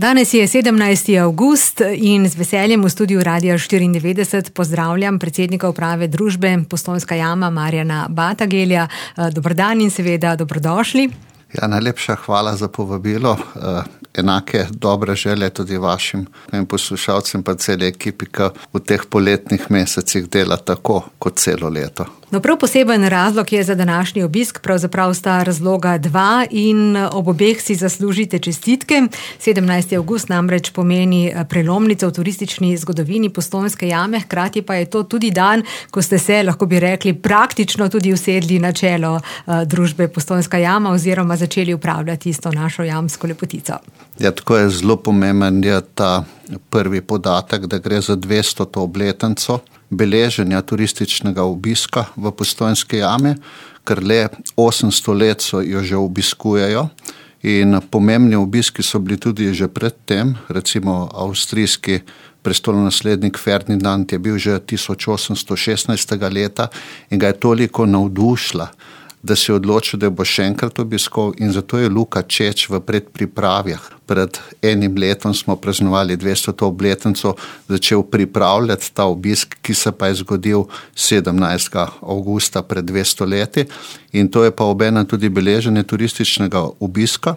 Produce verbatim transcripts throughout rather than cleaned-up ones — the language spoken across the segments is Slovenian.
Danes je sedemnajsti avgust in z veseljem v studiu Radia štiriindevetdeset pozdravljam predsednika uprave družbe Postojnska jama Marjana Batagelja. Dober dan in seveda dobrodošli. Ja, najlepša hvala za povabilo. Enake dobre želje tudi vašim poslušalcem pa celi ekipi, ki v teh poletnih mesecih dela tako kot celo leto. No, prav poseben razlog je za današnji obisk, pravzaprav sta razloga dva in ob obeh si zaslužite čestitke. sedemnajsti avgust namreč pomeni prelomnico v turistični zgodovini Postojnske jame, hkrati pa je to tudi dan, ko ste se, lahko bi rekli, praktično tudi usedli na čelo uh, družbe Postojnska jama oziroma začeli upravljati s to našo jamsko lepotico. Ja, tako je zelo pomemben je ta prvi podatek, da gre za dvestoto obletnico beleženja turističnega obiska v Postojnski jami, ker le osemsto let so jo že obiskujejo in pomembni obiski so bili tudi že pred tem, recimo avstrijski prestolonaslednik Ferdinand je bil že tisoč osemsto šestnajstega leta in ga je toliko navdušila, da se je odločil, da bo še enkrat obiskal in zato je Luka Čeč v predpripravah. Pred enim letom smo praznovali dvestoto obletnico, začel pripravljati ta obisk, ki se pa je zgodil sedemnajstega avgusta pred dvesto leti in to je pa obenem tudi beleženje turističnega obiska.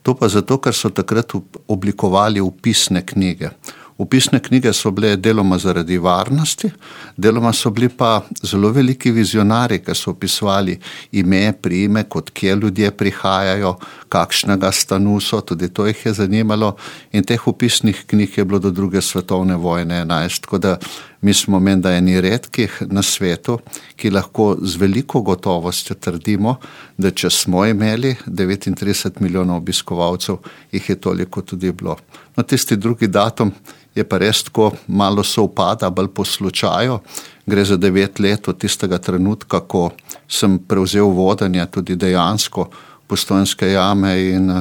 To pa zato, ker so takrat oblikovali vpisne knjige. Vpisne knjige so bile deloma zaradi varnosti, deloma so bili pa zelo veliki vizionari, ki so opisovali ime, priimek, od kje ljudje prihajajo, kakšnega stanu so, tudi to jih je zanimalo in teh vpisnih knjig je bilo do druge svetovne vojne enajst, tako da mi smo menda eni redkih na svetu, ki lahko z veliko gotovostjo trdimo, da če smo imeli devetintrideset milijonov obiskovalcev, jih je toliko tudi bilo. No, tisti drugi datum je pa res tako malo sovpada, bolj po slučaju. Gre za devet let od tistega trenutka, ko sem prevzel vodenje tudi dejansko Postojnske jame in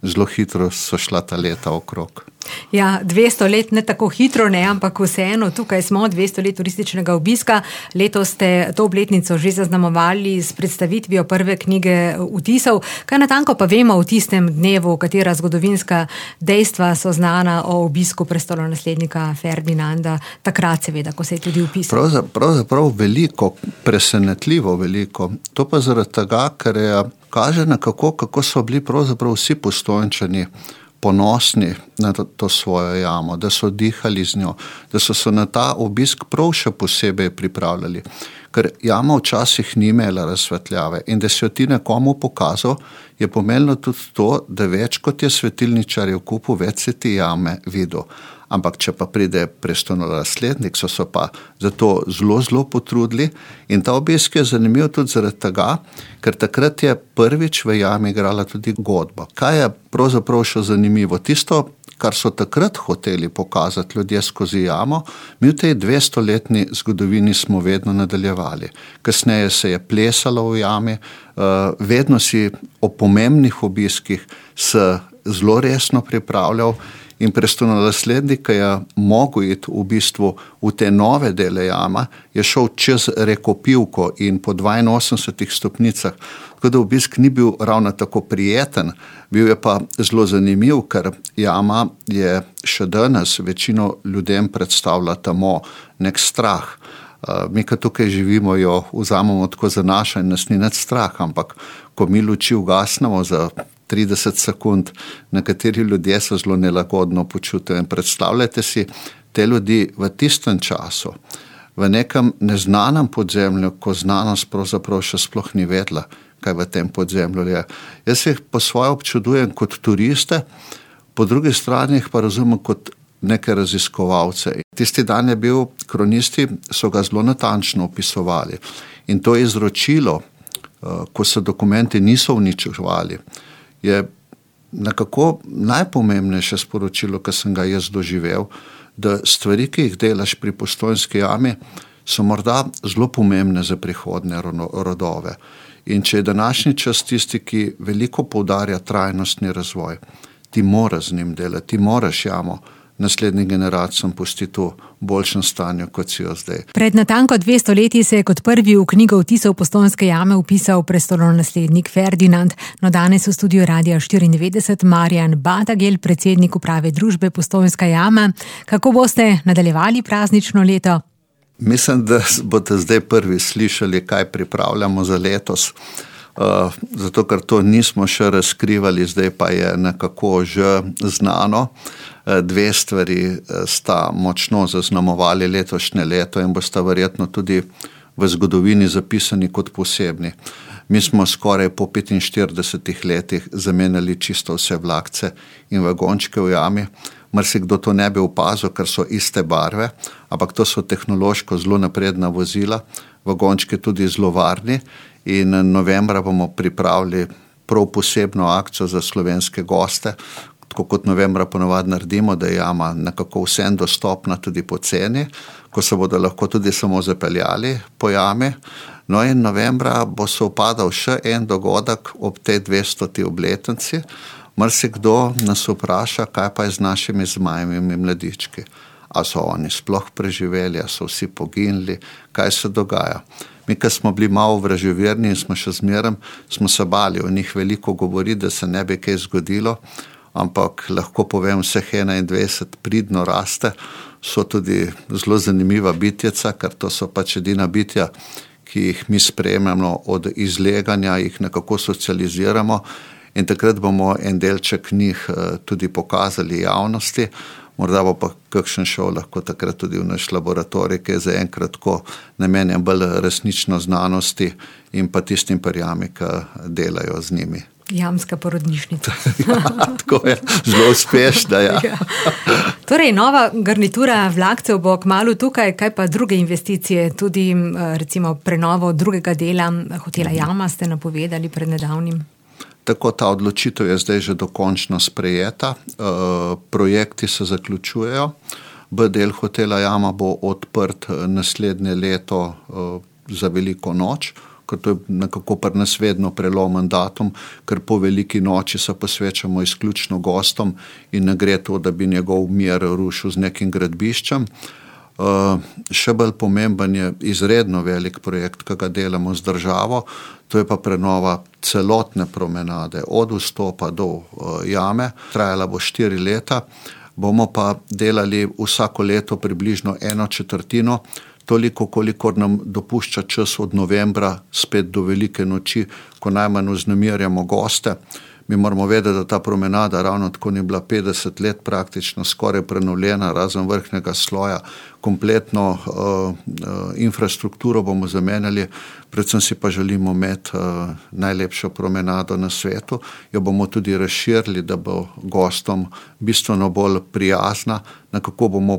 zelo hitro so šla ta leta okrog. Ja, dvesto let ne tako hitro, ne, ampak vseeno, tukaj smo, dvesto let turističnega obiska. Letos ste to obletnico že zaznamovali s predstavitvijo prve knjige vtisov. Kaj natanko pa vemo v tistem dnevu, katera zgodovinska dejstva so znana o obisku prestolonaslednika Ferdinanda, takrat seveda, ko se je tudi vpisal? Pravzaprav, pravzaprav veliko, presenetljivo veliko. To pa zaradi tega, ker je kaže na kako, kako so bili pravzaprav vsi Postojnčani ponosni na to, to svojo jamo, da so dihali z njo, da so se na ta obisk prav še posebej pripravljali. Ker jama včasih ni imela razsvetljave in da si jo ti nekomu pokazal, je pomenilo tudi to, da več kot je svetilničar v kupu, več si ti jame videl. Ampak če pa pride prestolonaslednik, so se pa zato zelo, zelo potrudili in ta obisk je zanimiv tudi zaradi tega, ker takrat je prvič v jami igrala tudi godba. Kaj je pravzaprav še zanimivo? Tisto, kar so takrat hoteli pokazati ljudje skozi jamo, mi v tej dvestoletni zgodovini smo vedno nadaljevali. Kasneje se je plesalo v jami, vedno si o pomembnih obiskih se zelo resno pripravljal in prestolonaslednik, ki je mogel iti v bistvu v te nove dele jama, je šel čez Rekopivko in po dvainosemdesetih stopnicah, tako da obisk ni bil ravno tako prijeten, bil je pa zelo zanimiv, ker jama je še danes večino ljudem predstavlja tamo nek strah. Mi, ki tukaj živimo, jo vzamemo tako za naša in nas ni nič strah, ampak ko mi luči ugasnemo za trideset sekund, nekateri ljudje se zelo nelagodno počutijo in predstavljajte si te ljudi v tistem času, v nekem neznanem podzemlju, ko znanost pravzaprav še sploh ni vedela, kaj v tem podzemlju je. Jaz jih po svoje občudujem kot turiste, po drugi strani jih pa razumem kot neke raziskovalce. Tisti dan je bil, kronisti so ga zelo natančno opisovali in to izročilo, ko se dokumenti niso uničevali, je nekako najpomembnejše sporočilo, ki sem ga jaz doživel, da stvari, ki jih delaš pri Postojnski jami, so morda zelo pomembne za prihodne rodove. In če je današnji čas tisti, ki veliko poudarja trajnostni razvoj, ti moraš z njim delati, ti moraš jamo naslednjim generacijam pustiti v boljšem stanju, kot si jo zdaj. Pred natanko dvesto leti se je kot prvi v knjigo vtisov Postojnske jame vpisal prestolonaslednik Ferdinand. No, danes v studiu Radia štiriindevetdeset Marjan Batagel, predsednik uprave družbe Postojnska jama. Kako boste nadaljevali praznično leto? Mislim, da boste zdaj prvi slišali, kaj pripravljamo za letos. Uh, zato, ker to nismo še razkrivali, zdaj pa je nekako že znano. Uh, dve stvari sta močno zaznamovali letošnje leto in bosta verjetno tudi v zgodovini zapisani kot posebni. Mi smo skoraj po petinštiridesetih letih zamenjali čisto vse vlakce in vagončke v jami. Marsikdo to ne bi opazil, ker so iste barve, ampak to so tehnološko zelo napredna vozila, vagončke tudi zelo varni. In novembra bomo pripravili prav posebno akcijo za slovenske goste, tako kot novembra ponovadi naredimo, da je jama nekako vsem dostopna tudi po ceni, ko se bodo lahko tudi samo zapeljali po jami. No in novembra bo se upadal še en dogodek ob tej dvestoti obletnici. Marsikdo nas vpraša, kaj pa je z našimi zmajevimi mladički. A so oni sploh preživeli, a so vsi poginili, kaj se dogaja. Mi, ko smo bili malo vraževerni in smo še zmeraj, smo se bali o njih veliko govoriti, da se ne bi kaj zgodilo, ampak lahko povem, vseh enaindvajset pridno raste, so tudi zelo zanimiva bitjeca, ker to so pač edina bitja, ki jih mi sprejemamo od izleganja, jih nekako socializiramo in takrat bomo en delček njih tudi pokazali javnosti. Morda bo pa kakšen šel lahko takrat tudi v naš laboratorij, ki je zaenkrat tako namenjen bolj resnično znanosti in pa tistim perjami, ki delajo z njimi. Jamska porodnišnica. Ja, tako je, zelo uspešna, ja. Ja. Torej, nova garnitura vlakcev bo kmalu tukaj, kaj pa druge investicije, tudi recimo prenovo drugega dela hotela Jama ste napovedali pred nedavnim? Tako, ta odločitev je zdaj že dokončno sprejeta, e, projekti se zaključujejo, B del hotela Jama bo odprt naslednje leto e, za veliko noč, ker to je nekako pri nas vedno prelomen datum, ker po veliki noči se posvečamo izključno gostom in ne gre to, da bi njegov mir rušil z nekim gradbiščem. Uh, še bolj pomemben je izredno velik projekt, ki ga delamo z državo, to je pa prenova celotne promenade od vstopa do uh, jame, trajala bo štiri leta, bomo pa delali vsako leto približno eno četrtino, toliko, kolikor nam dopušča čas od novembra spet do velike noči, ko najmanj vznemirjamo goste. Mi moramo vedeti, da ta promenada ravno tako ni bila petdeset let praktično skoraj prenovljena, razen vrhnjega sloja. Kompletno uh, uh, infrastrukturo bomo zamenjali, predvsem si pa želimo imeti uh, najlepšo promenado na svetu. Jo bomo tudi razširili, da bo gostom bistveno bolj prijazna, nekako bomo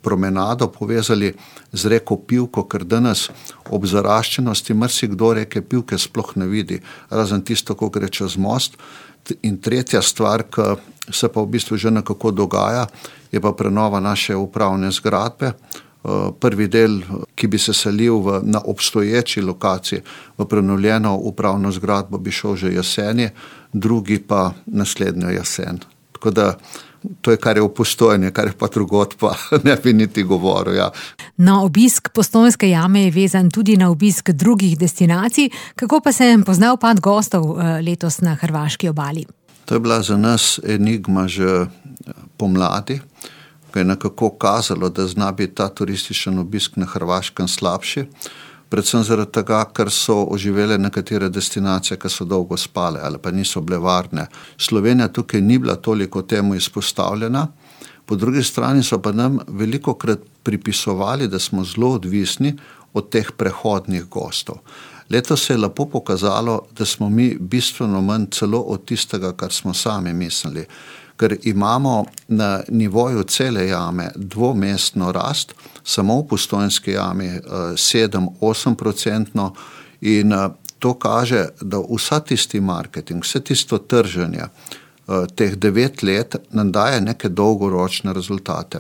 promenado povezali z reko Pivko, ker danes ob zaraščenosti marsikdo reke Pivke sploh ne vidi, razen tisto, ko gre čez most. In tretja stvar, ki se pa v bistvu že nekako dogaja, je pa prenova naše upravne zgradbe. Prvi del, ki bi se selil v, na obstoječi lokaciji v prenovljeno upravno zgradbo, bi šel že jeseni, drugi pa naslednjo jesen. Tako da to je, kar je v Postojni, kar je pa drugot, pa ne bi niti govoril. Ja. No, obisk Postojnske jame je vezan tudi na obisk drugih destinacij. Kako pa se je poznal upad gostov letos na hrvaški obali? To je bila za nas enigma že pomladi, ko je nekako kazalo, da zna biti ta turističen obisk na Hrvaškem slabši. Predvsem zaradi tega, ker so oživele nekatere destinacije, ki so dolgo spale ali pa niso bile varne. Slovenija tukaj ni bila toliko temu izpostavljena, po drugi strani so pa nam veliko krat pripisovali, da smo zelo odvisni od teh prehodnih gostov. Letos se je lepo pokazalo, da smo mi bistveno manj celo od tistega, kar smo sami mislili. Ker imamo na nivoju cele jame dvomestno rast, samo v Postojnski jami sedem do osem procentno in to kaže, da vsa tisti marketing, vse tisto trženje teh devet let nam daje neke dolgoročne rezultate.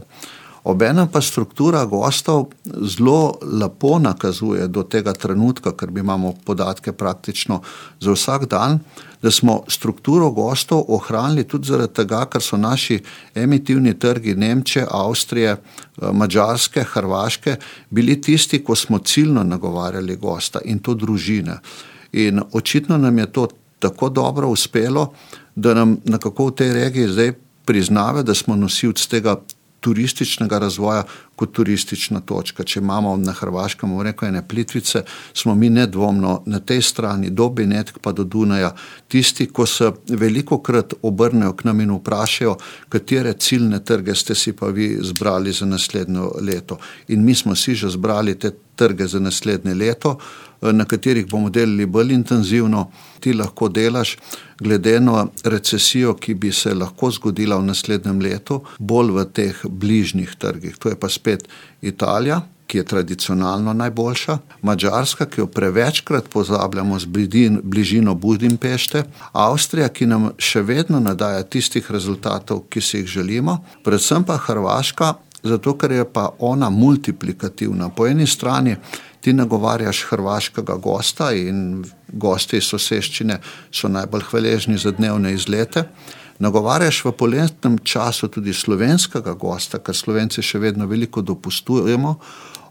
Obenem pa struktura gostov zelo lepo nakazuje do tega trenutka, ker mi imamo podatke praktično za vsak dan, da smo strukturo gostov ohranili tudi zaradi tega, ker so naši emitivni trgi Nemčije, Avstrije, Madžarske, Hrvaške bili tisti, ko smo ciljno nagovarjali gosta in to družine. In očitno nam je to tako dobro uspelo, da nam nekako v tej regiji zdaj priznava, da smo nosilci tega turističnega razvoja kot turistična točka. Če imamo na Hrvaškem, bomo rekel, ene Plitvice, smo mi nedvomno na tej strani do Benetk pa do Dunaja tisti, ko se velikokrat obrnejo k nam in vprašajo, katere ciljne trge ste si pa vi zbrali za naslednje leto. In mi smo si že zbrali te trge za naslednje leto, na katerih bomo delali bolj intenzivno. Ti lahko delaš glede na recesijo, ki bi se lahko zgodila v naslednjem letu, bolj v teh bližnjih trgih. To je pa spet Italija, ki je tradicionalno najboljša, Madžarska, ki jo prevečkrat pozabljamo z bližino Budimpešte, Avstrija, ki nam še vedno nadaja tistih rezultatov, ki si jih želimo, predvsem pa Hrvaška, zato ker je pa ona multiplikativna. Po eni strani ti nagovarjaš hrvaškega gosta in gosti iz soseščine so najbolj hvaležni za dnevne izlete. Nagovarjaš v poletnem času tudi slovenskega gosta, ker Slovenci še vedno veliko dopustujemo.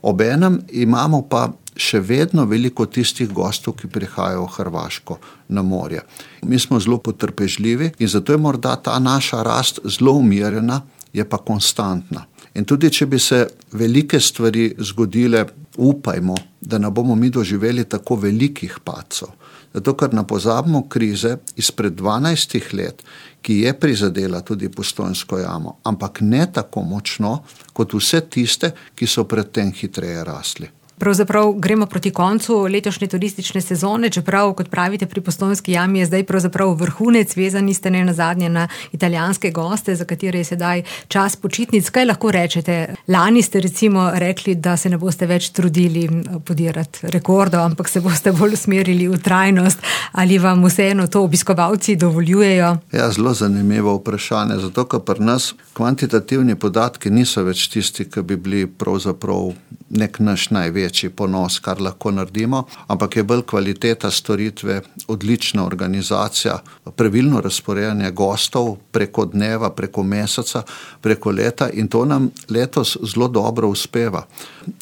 Obenem imamo pa še vedno veliko tistih gostov, ki prihajajo v Hrvaško na morje. Mi smo zelo potrpežljivi in zato je morda ta naša rast zelo umirjena, je pa konstantna. In tudi, če bi se velike stvari zgodile, upajmo, da ne bomo mi doživeli tako velikih padcev. Zato, ker ne pozabimo krize izpred dvanajstih let, ki je prizadela tudi Postojnsko jamo, ampak ne tako močno, kot vse tiste, ki so predtem hitreje rasli. Pravzaprav gremo proti koncu letošnje turistične sezone, čeprav, kot pravite, pri Postojnski jami je zdaj pravzaprav vrhunec, vezani ste ne nazadnje na italijanske goste, za katere je sedaj čas počitnic. Kaj lahko rečete? Lani ste recimo rekli, da se ne boste več trudili podirati rekordov, ampak se boste bolj usmerili v trajnost. Ali vam vseeno to obiskovalci dovoljujejo? Ja, zelo zanimivo vprašanje, zato ker pri nas kvantitativni podatki niso več tisti, ki bi bili pravzaprav nek naš največji ponos, kar lahko naredimo, ampak je bolj kvaliteta storitve, odlična organizacija, pravilno razporejanje gostov preko dneva, preko meseca, preko leta in to nam letos zelo dobro uspeva.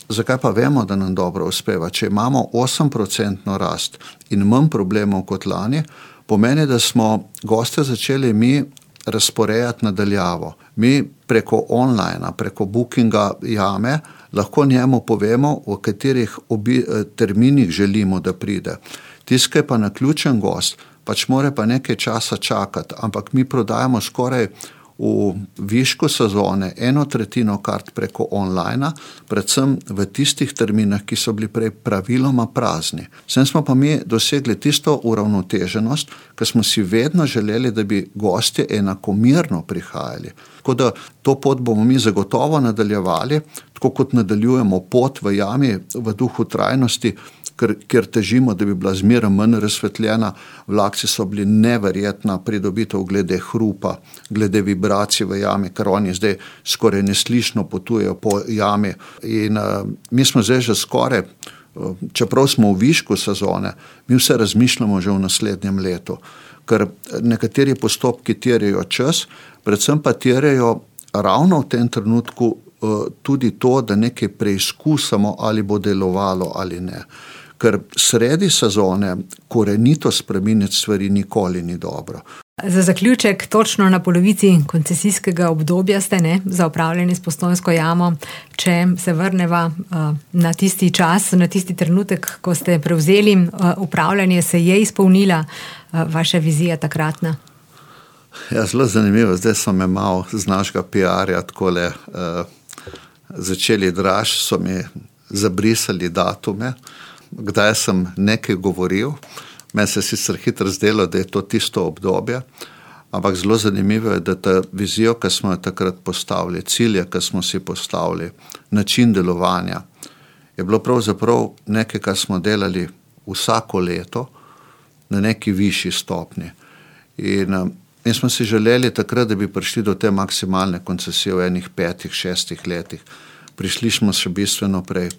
Zakaj pa vemo, da nam dobro uspeva? Če imamo osem procentno rast in manj problemov kot lani, pomeni, da smo goste začeli mi razporejati nadaljavo. Mi preko online, preko bookinga jame, lahko njemu povemo, v katerih obi, terminih želimo, da pride. Tiskaj pa naključen gost, pač mora pa nekaj časa čakati, ampak mi prodajamo skoraj v višku sezone eno tretjino kart preko online, predvsem v tistih terminah, ki so bili prej praviloma prazni. Sem smo pa mi dosegli tisto uravnoteženost, ker smo si vedno želeli, da bi gostje enakomerno prihajali. Tako da to pot bomo mi zagotovo nadaljevali, tako kot nadaljujemo pot v jami v duhu trajnosti, ker, ker težimo, da bi bila zmeraj manj razsvetljena. Vlakci so bili neverjetna pridobitev glede hrupa, glede vibracij v jami, ker oni zdaj skoraj neslišno potujejo po jami. In uh, mi smo zdaj že skoraj, uh, čeprav smo v višku sezone, mi vse razmišljamo že v naslednjem letu, ker nekateri postopki terjajo čas, predvsem pa terjajo ravno v tem trenutku uh, tudi to, da nekaj preizkusamo, ali bo delovalo ali ne. Ker sredi sezone korenito spreminjati stvari nikoli ni dobro. Za zaključek, točno na polovici koncesijskega obdobja ste, ne, za upravljanje s Postojnsko jamo, če se vrneva uh, na tisti čas, na tisti trenutek, ko ste prevzeli uh, upravljanje, se je izpolnila uh, vaša vizija takratna? Ja, zelo zanimivo. Zdaj so me malo z našega P R-ja takole uh, začeli draž, so mi zabrisali datume, kdaj sem nekaj govoril. Meni se sicer hitro zdelo, da je to tisto obdobje, ampak zelo zanimivo je, da ta vizijo, ki smo jo takrat postavili, cilje, ki smo si postavili, način delovanja, je bilo pravzaprav nekaj, kar smo delali vsako leto na neki višji stopni. In Mi smo si želeli takrat, da bi prišli do te maksimalne koncesije v enih petih, šestih letih. Prišli smo še bistveno prej.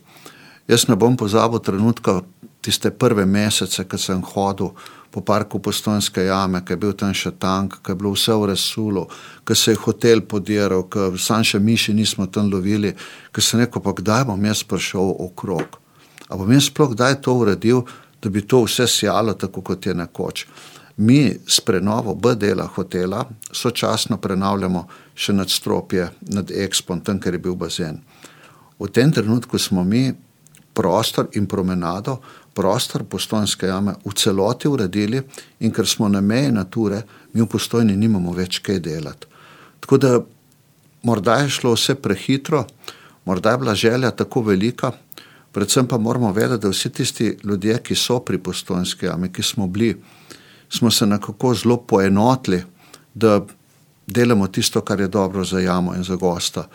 Jaz ne bom pozabil trenutka tiste prve mesece, ko sem hodil po parku Postojnske jame, ko je bil tam še tank, ko je bilo vse v resulu, ko se je hotel podiral, ko sam še miši nismo tam lovili, ko sem rekel, pa kdaj bom jaz prišel okrog? A bom jaz sploh kdaj to uredil, da bi to vse sjalo tako, kot je nekoč? Mi s prenovo B dela hotela sočasno prenavljamo še nadstropje nad Expom, tam, ker je bil bazen. V tem trenutku smo mi prostor in promenado, prostor Postojnske jame v celoti uredili in ker smo na meji nature, mi v Postojni nimamo več kaj delati. Tako da morda je šlo vse prehitro, morda je bila želja tako velika, predvsem pa moramo vedeti, da vsi tisti ljudje, ki so pri Postojnski jami, ki smo bili, smo se nekako zelo poenotili, da delamo tisto, kar je dobro za jamo in za gosta.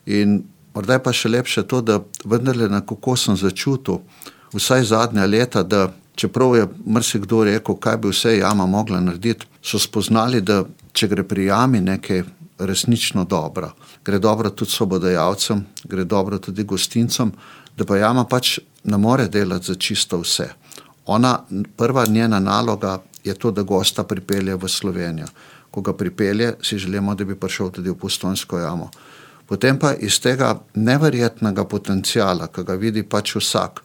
In morda je pa še lepše to, da vendarle nekako sem začutil vsaj zadnja leta, da čeprav je marsikdo rekel, kaj bi vse jama mogla narediti, so spoznali, da če gre pri jami nekaj resnično dobro, gre dobro tudi sobodajalcem, gre dobro tudi gostincem, da pa jama pač ne more delati za čisto vse. Ona, prva njena naloga je to, da gosta pripelje v Slovenijo. Ko ga pripelje, si želimo, da bi prišel tudi v Postojnsko jamo. Potem pa iz tega neverjetnega potencijala, ki ga vidi pač vsak,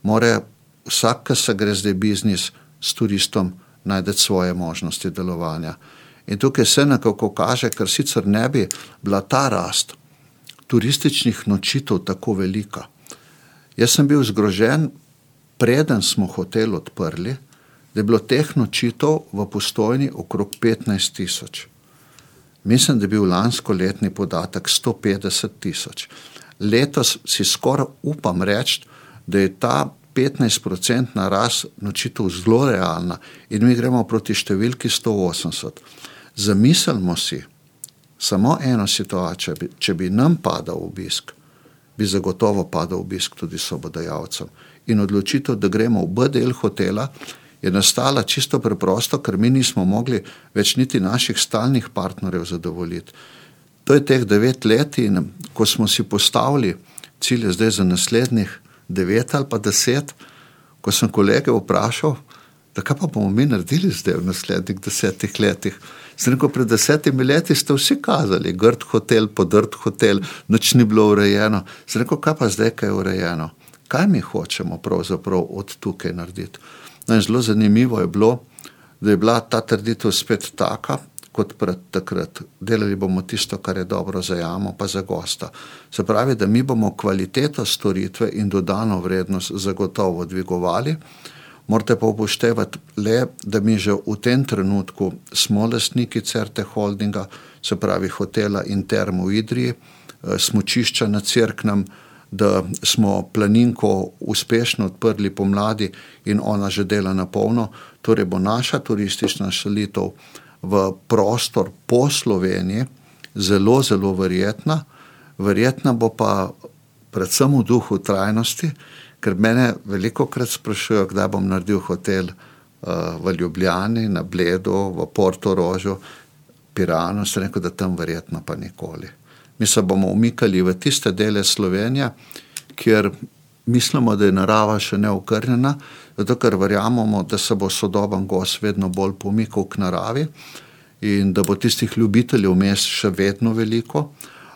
more vsak, ki se gre zdaj biznis s turistom, najdeti svoje možnosti delovanja. In tukaj se nekako kaže, ker sicer ne bi bila ta rast turističnih nočitev tako velika. Jaz sem bil zgrožen, preden smo hotel odprli, da je bilo teh nočitev v Postojni okrog petnajst tisoč. Mislim, da je bil lansko letni podatek sto petdeset tisoč. Letos si skoraj upam reči, da je ta petnajst procentna rast nočitev zelo realna in mi gremo proti številki sto osemdeset. Zamislimo si samo eno situacijo, če bi nam padal obisk, bi zagotovo padal obisk tudi sobodajalcem. In odločitev, da gremo v B del hotela, je nastala čisto preprosto, ker mi nismo mogli več niti naših stalnih partnerjev zadovoljiti. To je teh devet let in ko smo si postavili cilje zdaj za naslednjih devet ali pa deset, ko sem kolege vprašal, da kaj pa bomo mi naredili zdaj v naslednjih desetih letih. Sem rekel, pred desetimi leti ste vsi kazali, grd hotel, podrt hotel, nič ni bilo urejeno. Sem rekel, kaj pa zdaj, kaj je urejeno? Kaj mi hočemo pravzaprav od tukaj narediti? No in zelo zanimivo je bilo, da je bila ta trditev spet taka, kot pred takrat. Delali bomo tisto, kar je dobro za jamo, pa za gosta. Se pravi, da mi bomo kvaliteto storitve in dodano vrednost zagotovo dvigovali. Morate pa upoštevati le, da mi že v tem trenutku smo lastniki Certe Holdinga, se pravi hotela in term v Idriji, smučišča na Cerknem, da smo planinko uspešno odprli pomladi in ona že dela na polno. Torej bo naša turistična selitev v prostor po Sloveniji zelo, zelo verjetna. Verjetna bo pa predvsem v duhu trajnosti, ker mene velikokrat sprašujejo, kdaj bom naredil hotel uh, v Ljubljani, na Bledu, v Portorožu, Piranu, sem rekel, da tam verjetno pa nikoli. Mi se bomo umikali v tiste dele Slovenije, kjer mislimo, da je narava še neokrnjena, zato ker verjamemo, da se bo sodoben gost vedno bolj pomikal k naravi in da bo tistih ljubiteljev mest še vedno veliko,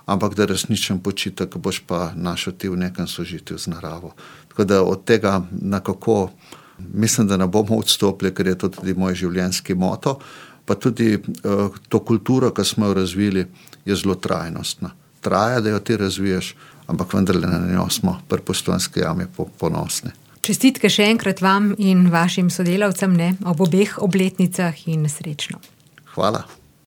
ampak da resničen počitek boš pa našel ti v nekem sožitju z naravo. Tako da od tega nekako mislim, da ne bomo odstopili, ker je to tudi moj življenjski moto, pa tudi uh, to kulturo, ki smo jo razvili, je zelo trajnostna. Traja, da jo ti razviješ, ampak vendarle na njo smo pri Postojnski jami ponosni. Čestitke še enkrat vam in vašim sodelavcem, ne, ob obeh obletnicah in srečno. Hvala.